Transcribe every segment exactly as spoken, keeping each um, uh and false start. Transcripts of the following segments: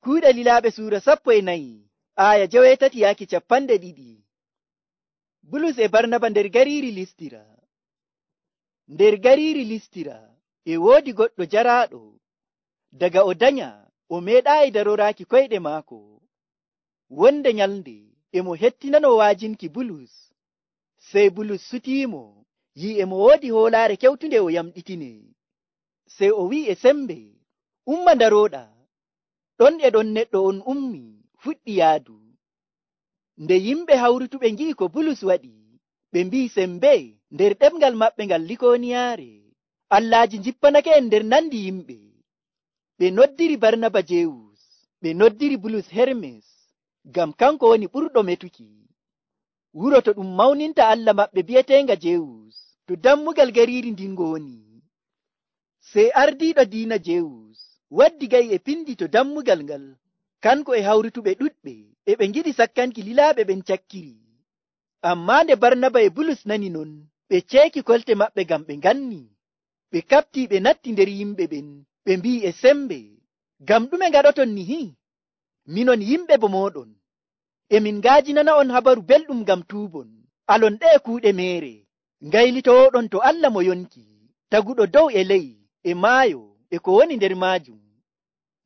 Kuuɗe Lilaaɓe suura sappo e nayi, aaya jewetati yaaki capanɗe ɗiɗi. Bulus e Barnaba nder gariiri Listira. Nder gariiri Listira e woodi goɗɗo jaraaɗo. Daga o danya, o meeɗaayi daroraaki koyɗe maako. Wonde nyalnde e mo hettinano waajinki Bulus. Sey Bulus sutiimo, yi'i e mo woodi hoolaare kewtunde o yamɗitine. Sey o wi'i e sembe, umma darooɗa. Ɗon e ɗon neɗɗo on ummi, fuɗɗi yaadu. Nde yimɓe hawrutuɓe ngi'i ko Bulus waɗi, ɓe mbi'i sembe nder ɗemngal maɓɓe ngal Likooniyaare, allaaji njippanake en nder nandi yimɓe. Ɓe noddiri Barnaba Jewus, ɓe noddiri Bulus Hermes, ngam kanko woni ɓurɗo metuki. Wuro to ɗum mawninta Allah maɓɓe bi'eteenga Jewus, to dammugal gariiri ndin woni. Sey ardiiɗo diina Jewus waddi ga'i e pindi to dammugal ngal, kanko e hawrutuɓe ɗuɗɓe e ɓe ngiɗi sakkanki lilaaɓe ɓen cakkiri. Ammaa nde Barnaba e Bulus nani non, ɓe ceeki kolte maɓɓe ngam ɓe nganni. Ɓe kaɓtii ɓe natti nder yimɓe ɓen, ɓe mbi'i e sembe, ngam ɗume ngaɗoton nihi? Minon yimɓe bo mooɗon, emin ngaajinana on habaru belɗum ngam tuubon, alon ɗe e kuuɗe meere, ngaylitooɗon to Allah mo yonki, taguɗo dow e ley, e maayo, e ko woni nder maajum.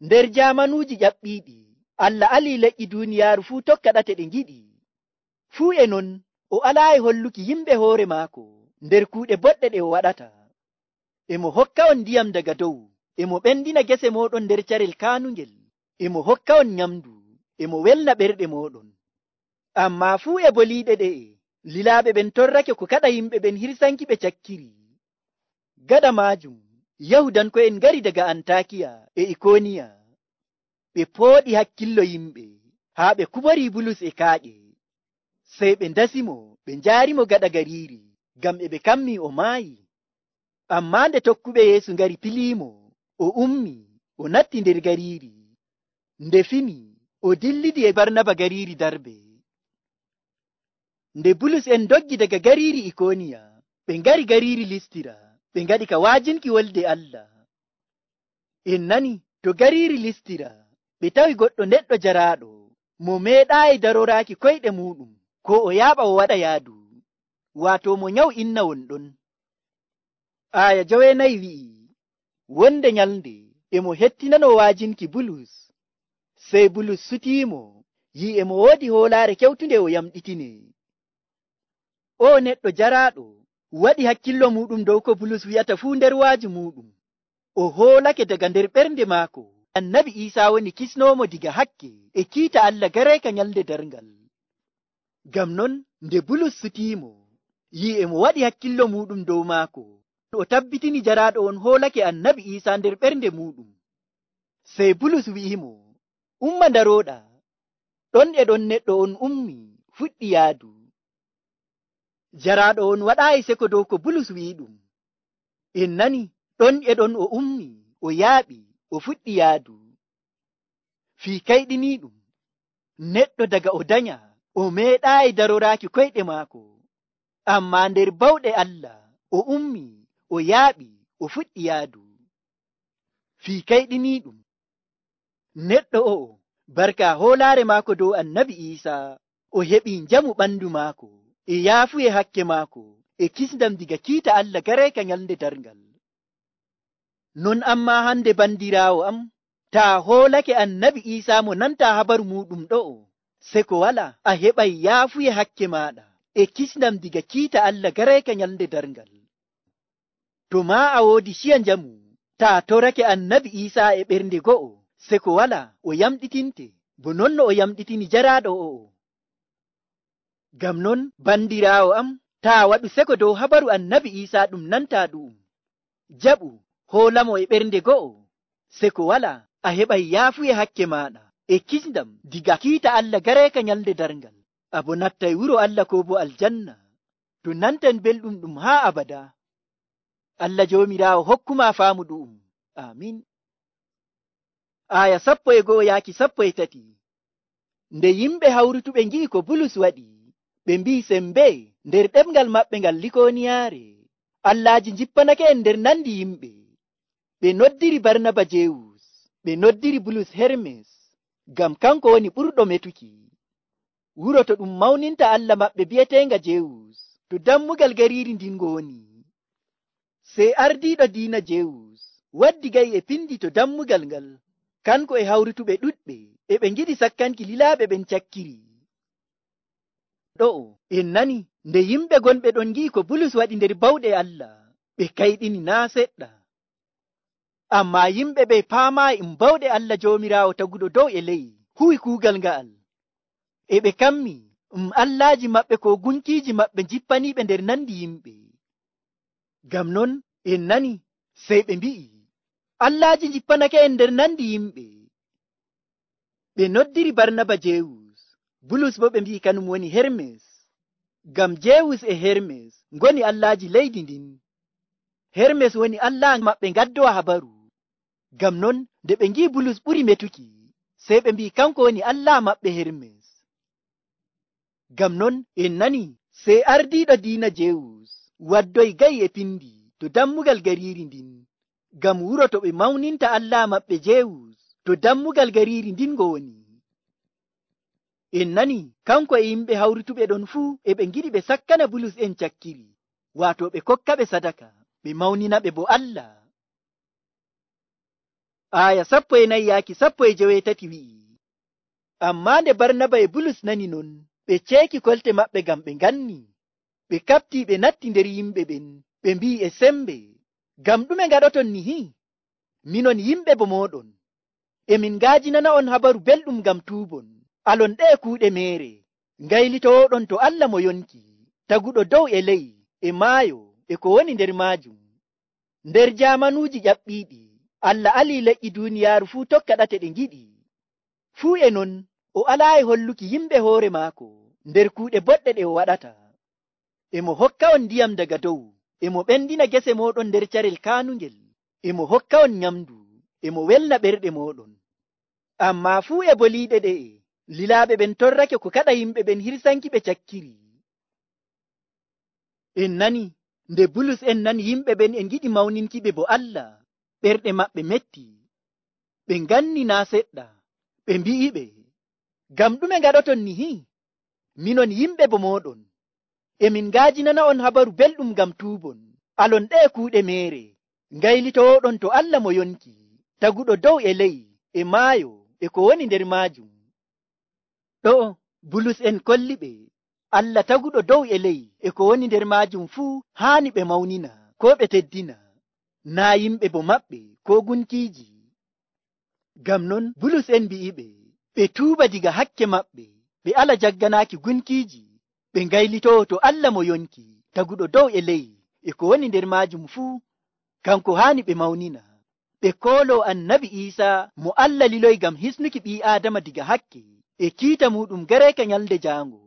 Nder jaamanuuji ƴaɓɓiiɗi, Allah alii leƴƴi duuniyaaru fuu tokka ɗate ɗe ngiɗi. Fuu e non, o alaayi holluki yimɓe hoore maako nder kuuɗe boɗɗe ɗe o waɗata. E mo hokka on ndiyam daga dow, e mo ɓendina gese mooɗon nder carel kaanungel, e mo hokka on nyamdu, e mo welna ɓerɗe mooɗon. Ammaa fuu e boliiɗe ɗe'e, lilaaɓe ɓen torrake ko kaɗa yimɓe ɓen hirsanki ɓe cakkiri. Gaɗa maajum, Yahudanko'en ngari daga Antakiya e Ikooniya. Ɓe pooɗi hakkillo yimɓe, haa ɓe kuborii Bulus e kaaƴe. Sey ɓe ndasimo, ɓe njaarimo gaɗa gariiri, ngam e ɓe kammii o maayi. Ammaa nde tokkuɓe Yeesu ngari piliimo, o ummi, o natti nder gariiri. Nde fini, o dillidi e Barnaba gariiri Darbe. Nde Bulus en doggi daga gariiri Ikooniya, ɓe ngari gariiri Listira, ɓe ngaɗi ka waajinki wolde Allah. En nani, to gariiri Listira, ɓe tawi goɗɗo neɗɗo jaraaɗo, mo meeɗaayi daroraaki koyɗe muuɗum, ko o yaaɓa o waɗa yaadu, waato mo nyaw inna wonɗon. Aaya jowenayi wi'i, wonde nyalnde e mo hettinano waajinki Bulus. Sey Bulus sutiimo, yi'i e mo woodi hoolaare kewtunde o yamɗitine. O neɗɗo jaraaɗo waɗi hakkillo muɗum dow ko Bulus wi'ata fuu nder waaju muɗum. O hoolake daga nder ɓernde maako, Annabi Iisaa woni kisnoomo diga hakke e kiita Allah gareeka nyalnde darngal. Ngam non, nde Bulus sutiimo, yi'i e mo waɗi hakkillo muɗum dow maako, o tabbitini jaraaɗo on hoolake Annabi Iisaa nder ɓernde muɗum. Sey Bulus wi'imo, umma darooɗa. Ɗon e ɗon neɗɗo on ummi, fuɗɗi yaadu. Jaraaɗo on waɗaayi seko dow ko Bulus wi'i ɗum. En nani, ɗon e ɗon o ummi, o yaaɓi, o fuɗɗi yaadu. Fii kayɗiniiɗum, neɗɗo daga o danya, o meeɗaayi daroraaki koyɗe maako. Ammaa nder bawɗe Allah, o ummi, o yaaɓi, o fuɗɗi yaadu. Fii kayɗiniiɗum, neɗɗo o'o, barka hoolaare maako dow Annabi Iisaa, o heɓii njamu ɓandu maako, e yaafuye hakke maako, e kisndam diga kiita Allah gareeka nyalnde darngal. Non ammaa hande bandiraawo am, taa hoolake Annabi Iisaa mo nanta habaru muɗum ɗo'o, seko wala a heɓay yaafuye hakke maaɗa, e kisndam diga kiita Allah gareeka nyalnde darngal. To maa a woodi ciya njamu, taa torake Annabi Iisaa e ɓernde go'o, seko wala o yamɗitinte, bo non no o yamɗitini jaraaɗo o'o. Ngam non, bandiraawo am, taa waɗu seko dow habaru Annabi Iisaa ɗum nanta ɗu'um. Jaɓu, hoolamo e ɓernde go'o, seko wala a heɓay yaafuye hakke maaɗa, e kisndam diga kiita Allah gareeka nyalnde darngal. Abo nattay wuro Allah ko bo aljanna, to nantan belɗum ɗum haa abada. Allah joomiraawo hokkuma faamu ɗu'um. Amin. Aya sappo e go'o yaaki sappo e tati. Nde yimɓe hawrutuɓe ngi'i ko Bulus waɗi, ɓe mbi'i sembe nder ɗemngal maɓɓe ngal Likooniyaare, allaaji njippanake en nder nandi yimɓe. Ɓe noddiri Barnaba Jewus, ɓe noddiri Bulus Hermes, ngam kanko woni ɓurɗo metuki. Wuro to ɗum mawninta Allah maɓɓe bi'eteenga Jewus, to dammugal gariiri ndin ngo woni. Sey ardiiɗo diina Jewus waddi ga'i e pindi to dammugal ngal, kanko e hawrutuɓe ɗuɗɓe e ɓe ngiɗi sakkanki lilaaɓe ɓen cakkiri. Ɗo'o en nani nde yimɓe gonɓe ɗon ngi'i ko Bulus waɗi nder bawɗe Allah, ɓe kayɗini naa seɗɗa. Ammaa yimɓe ɓe paamaayi um bawɗe Allah Joomiraawo taguɗo dow e ley huwi kuugal nga'al. E ɓe kammi um allaaji maɓɓe ko gunkiiji maɓɓe jippaniiɓe nder nandi yimɓe. Ngam non en nani sey ɓe mbi'i, allaaji jippanake en nder nandi yimɓe. Ɓe noddiri Barnaba Jewus, Bulus bo ɓe mbi'i kanum woni Hermes, ngam Jewus e Hermes ngoni allaaji leydi ndin. Hermes woni allah maɓɓe ngaddowa habaru. Ngam non nde ɓe ngi'i Bulus ɓuri metuki, sey ɓe mbi'i kanko woni allah maɓɓe Hermes. Ngam non en nani sey ardiiɗo diina Jewus waddoyi ga'i e pindi to dammugal gariiri ndin, ngam wuro to ɓe mawninta allah maɓɓe Jewus to dammugal gariiri ndin ngo woni. En nani kanko e yimɓe hawrutuɓe ɗon fuu e ɓe ngiɗi ɓe sakkana Bulus en cakkiri, waato ɓe kokka ɓe sadaka, ɓe mawnina ɓe bo Allah. Aya sappo e nayi yaaki sappo e joweetati wi'i, ammaa nde Barnaba e Bulus nani non, ɓe ceeki kolte maɓɓe ngam ɓe nganni. Ɓe kaɓtii ɓe natti nder yimɓe ɓen, ɓe mbi'i e sembe, ngam ɗume ngaɗoton nihi? Minon yimɓe bo mooɗon, emin ngaajinana on habaru belɗum ngam tuubon, alon ɗe kuuɗe meere, ngaylitooɗon to Allah mo yonki, taguɗo dow e ley, e maayo, e ko woni nder maajum. Nder jaamanuuji ƴaɓɓiiɗi, Allah alii leƴƴi duuniyaaru fuu tokka ɗate ɗe ngiɗi. Fuu e non, o alaayi holluki yimɓe hoore maako nder kuuɗe boɗɗe ɗe o waɗata. Emo hokka on ndiyam daga dow, emo ɓendina gese mooɗon nder carel kaanungel, emo hokka on nyamdu, emo welna ɓerɗe mooɗon. Ammaa fuu e boliiɗe ɗe'e, lilaaɓe ɓen torrake ko kaɗa yimɓe ɓen hirsanki ɓe cakkiri. En nani nde Bulus en nani yimɓe ɓen e ngiɗi mawninki ɓe bo Allah, ɓerɗe maɓɓe metti, ɓe nganni naa seɗɗa, ɓe mbi'iɓe, ngam ɗume ngaɗoton nihi? Minon yimɓe bo mooɗon, emin ngaajinana on habaru belɗum ngam tuubon, alon ɗe kuuɗe meere, ngaylitooɗon to Allah mo yonki, taguɗo dow e ley, e maayo, e ko woni nder maajum. Ɗo'o Bulus en kolli ɓe, Allah taguɗo dow e ley, e ko woni nder maajum fuu haani ɓe mawnina, ko ɓe teddina, naa yimɓe bo maɓɓe ko gunkiiji. Ngam non Bulus en mbi'iɓe, ɓe tuuba diga hakke maɓɓe, ɓe ala jagganaaki gunkiiji, ɓe ngaylitoo to Allah mo yonki, taguɗo dow e ley, e ko woni nder maajum fuu, kanko haani ɓe mawnina. Ɓe kooloo annabi Iisaa mo Allah liloyi ngam hisnuki ɓii Aadama diga hakke, e kiita muɗum gareeka nyalde jaango.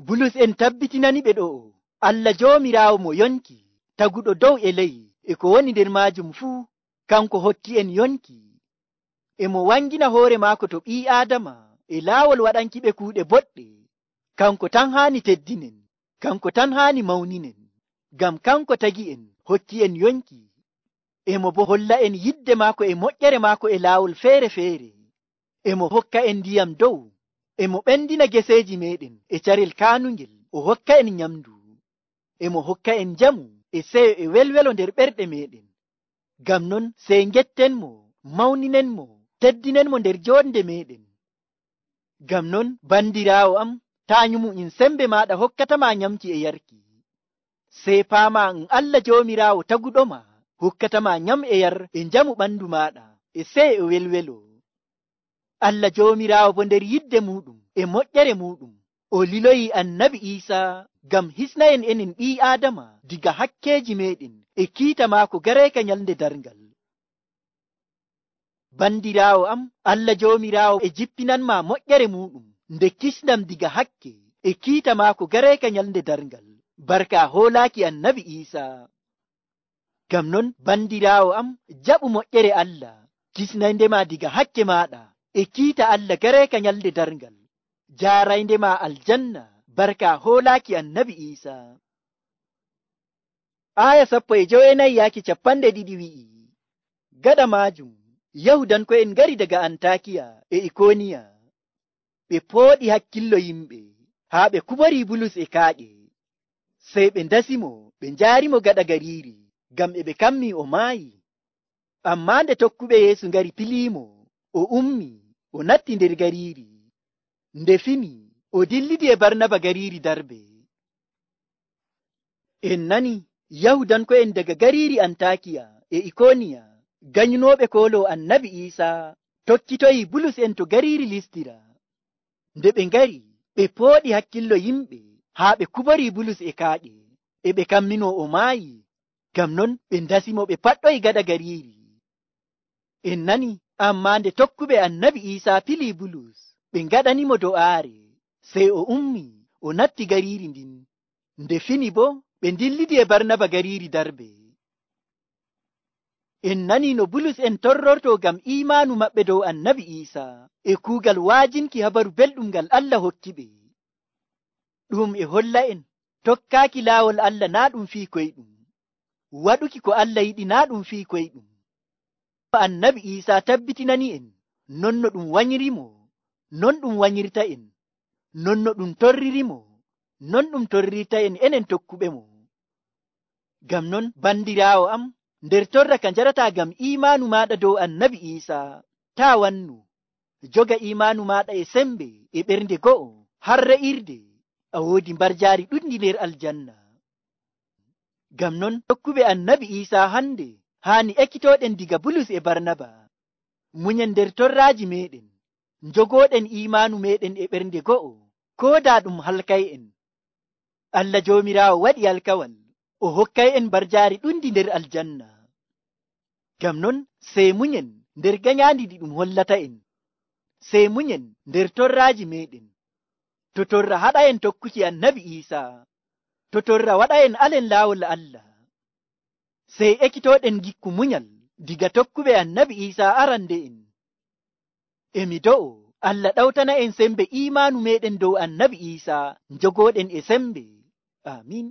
Bulus en tabbitinani ɓe ɗo'o, Allah Joomiraawo mo yonki, taguɗo dow e ley, e ko woni nder maajum fuu, kanko hokki en yonki. Emo wangina hoore maako to ɓii Aadama e laawol waɗanki ɓe kuuɗe boɗɗe. Kanko tan haani teddinen, kanko tan haani mawninen, ngam kanko tagi en, hokki en yonki. Emo bo holla en yidde maako e moƴƴere maako e laawol feere-feere. Emo hokka en ndiyam dow, emo ɓendina geseeji meɗen e carel kaanungel, o hokka en nyamdu. Emo hokka en jamu e seyo e welwelo nder ɓerɗe meɗen. Ngam non sey ngettenmo, mawninenmo, teddinenmo nder joonde meɗen. Ngam non bandiraawo am, taa nyumu in sembe maaɗa hokkatama nyamki e yarki. Sey paama en Allah Joomiraawo taguɗoma, hokkatama nyam e yar e njamu ɓandu maɗa e seyo e welwelo. Allah Joomiraawo bo nder yidde muɗum e moƴƴere muɗum, o liloyi annabi Iisaa ngam hisna en enen ɓii Aadama diga hakkeeji meɗen e kiita maako gareeka nyalnde darngal. Bandiraawo am, Allah Joomiraawo e jippinanma moƴƴere muɗum nde kisnam diga hakke e kiita maako gareeka nyalnde darngal, barka hoolaaki annabi Iisaa. Ngam non bandiraawo am, jaɓu moƴƴere Allah, kisnayndema diga hakke maɗa e kiita Allah gareeka nyalde darngal, jaarayndema aljanna, barka hoolaaki annabi Iisaa. Aya sappo e joweenayi yaaki capanɗe ɗiɗi wi'i, gaɗa maajum Yahudanko'en ngari daga Antakiya e Ikoniya. Ɓe pooɗi hakkillo yimɓe haa ɓe kubori Bulus e kaaƴe. Sey ɓe ndasimo ɓe njaarimo gaɗa gariiri ngam e ɓe kammi o maayi. Ammaa nde tokkuɓe Yeesu ngari piliimo, o ummi o natti nder gariiri. Nde fini o dillidi e Barnaba gariiri Darbe. En nani Yahudanko'en daga gariiri Antakiya e Ikoniya ganyunooɓe koolo Annabi Iisaa tokkitoyi Bulus en to gariiri Listira. Nde ɓe ngari ɓe pooɗi hakkillo yimɓe haa ɓe kubori Bulus e kaaƴe, e ɓe kammino o maayi. Ngam non ɓe ndasimo ɓe paɗɗoyi gaɗa gariiri. En nani ammaa nde tokkuɓe Annabi Iisaa pilii Bulus ɓe ngaɗanimo do'aare, sey o ummi o natti gariiri ndin. Nde fini boo ɓe ndillidi e Barnaba gariiri Darbe. En nani no Bulus en torrortoo ngam iimaanu maɓɓe dow Annabi Iisaa e kuugal waajinki habaru belɗum ngal Allah hokki ɓe. Ɗum e holla en tokkaaki laawol Allah naa ɗum fii koyɗum, waɗuki ko Allah yiɗi naa ɗum fii koyɗum. Annabi Iisaa tabbitinani en non no ɗum wanyirimo, non ɗum wanyirta en, non no ɗum torririmo, non ɗum torrirta en enen tokkuɓe mo. Ngam non bandiraawo am, nder torra ka njarataa ngam iimaanu maaɗa dow Annabi Iisaa, taa wannu. Joga iimaanu maaɗa e sembe e ɓernde go'o har re'irde a woodi mbarjaari ɗuɗndi nder aljanna. Ngam non tokkuɓe Annabi Iisaa hande haani ekkitooɗen diga Bulus e Barnaba, munyen nder torraaji meeɗen, njogooɗen iimaanu meeɗen e ɓernde go'o, koo daa ɗum halkay'en. Allah Joomiraawo waɗi alkawal o hokkay'en mbarjaari ɗuɗndi nder aljanna. Ngam non sey munyen nder ganyaandi ɗi ɗum hollata en, sey munyen nder torraaji meeɗen. To torra haɗa'en tokkuki Annabi Iisaa, to torra waɗa'en alen laawol Allah, sey ekkitooɗen gikku munyal diga tokkuɓe Annabi Iisaa arande'en. Emi do'o Allah ɗawtana en sembe iimaanu meeɗen dow Annabi Iisaa njogooɗen e sembe. Amiin.